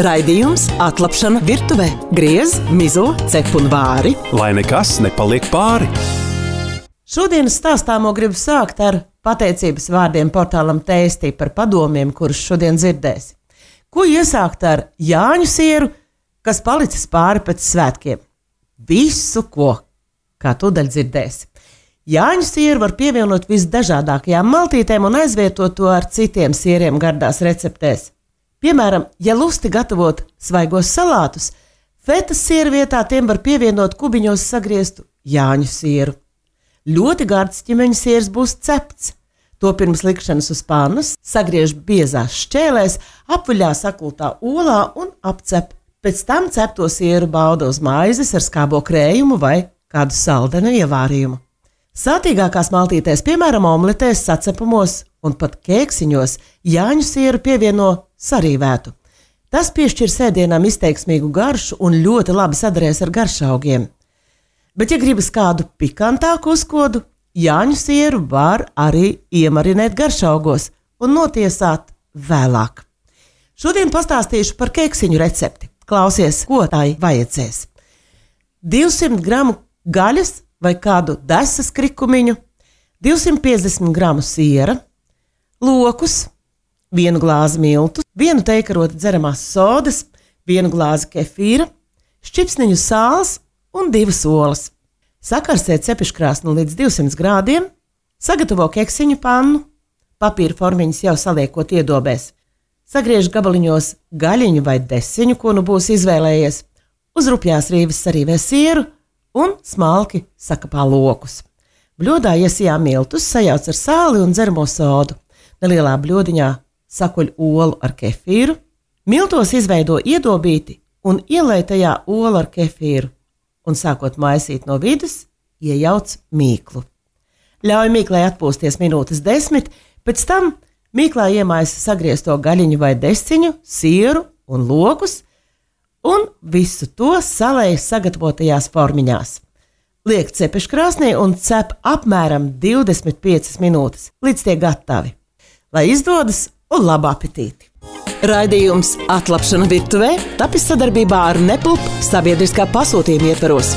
Raidījums Atlapšana virtuvē. Griez, mizo, cep un vāri. Lai nekas nepaliek pāri. Šodienas stāstāmo gribu sākt ar pateicības vārdiem portālam Tēstī par padomiem, kurus šodien dzirdēsi. Ko iesākt ar Jāņu sieru, kas palicis pāri pēc svētkiem? Visu, ko, kā tūdaļ dzirdēsi. Jāņu sieru var pievienot visdažādākajām maltītēm un aizvietot to ar citiem sieriem gardās receptēs. Piemēram, ja lusti gatavot svaigos salātus, fetas sieru vietā tiem var pievienot kubiņos sagrieztu Jāņu sieru. Ļoti gards ķimeņa siers būs cepts. To pirms likšanas uz pannas sagriež biezās šķēlēs, apviļā sakultā olā un apcep. Pēc tam cepto sieru bauda uz maizes ar skābo krējumu vai kādu saldenu ievārījumu. Sātīgākās maltītēs, piemēram, omletēs, sacepumos un pat kēksiņos Jāņu sieru pievieno sarīvētu. Tas piešķir sēdienām izteiksmīgu garšu un ļoti labi sadarēs ar garšaugiem. Bet, ja gribas kādu pikantāku uzkodu, Jāņu sieru var arī iemarinēt garšaugos un notiesāt vēlāk. Šodien pastāstīšu par kēksiņu recepti. Klausies, ko tai vajadzēs. 200 gramu gaļas vai kādu desas krikumiņu, 250 gramu siera, lokus, 1 glāzi miltu, 1 teikarota dzeramās sodas, 1 glāzi kefīra, šķipsniņu sāls un 2 olas. Sakarsē cepeškrāsnu līdz 200 grādiem, sagatavo keksiņu pannu, papīra formiņas jau saliekot iedobēs. Sagriež gabaliņos gaļiņu vai desiņu, ko nu būs izvēlējies, uz rupjās rīves sarīvē sieru un smalki sakapā lokus. Bļodā iesijā miltus, sajauc ar sāli un dzeramo sodu. Nelielā bļodiņā sakuļ olu ar kefīru, miltos izveido iedobīti un ielej tajā olu ar kefīru un sākot maisīt no vidus, iejauc mīklu. Ļauj mīklai atpūsties minūtes 10, pēc tam mīklā iemaisa sagriezto gaļiņu vai desiņu, sieru un lokus un visu to salēj sagatavotajās formiņās. Liek cepeškrāsnī un cep apmēram 25 minūtes, līdz tie gatavi. Lai izdodas un labu apetīti! Raidījums Atlapšana virtuvē tapis sadarbībā ar Nepulp sabiedriskā pasūtījuma ietvaros.